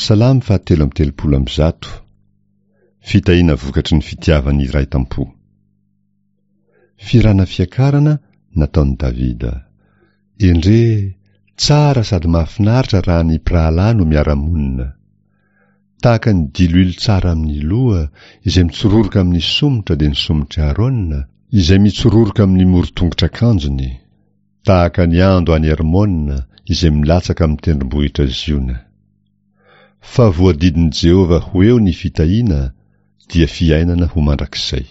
Salamo fahatelo amby 133. Fitahiana vokatry ny fitiavan'ny iray tam-po. Fihirana fiakarana nataon'i Davida. Endrey, tsara sady mahafinaritra raha ny mpirahalahy no miara-monina. Tahaka ny diloilo tsara amin'ny loha, izay mitsororoka amin'ny somotra dia ny somotr'i Aarona, izay mitsororoka amin'ny moron-tongotr'akanjony. Tahaka ny ando any Hermona, izay milatsaka amin'ny tendrombohitra Ziona. Fa voadidin'i Jehovah ho eo ny fitahiana, dia fiainana ho mandrakizay.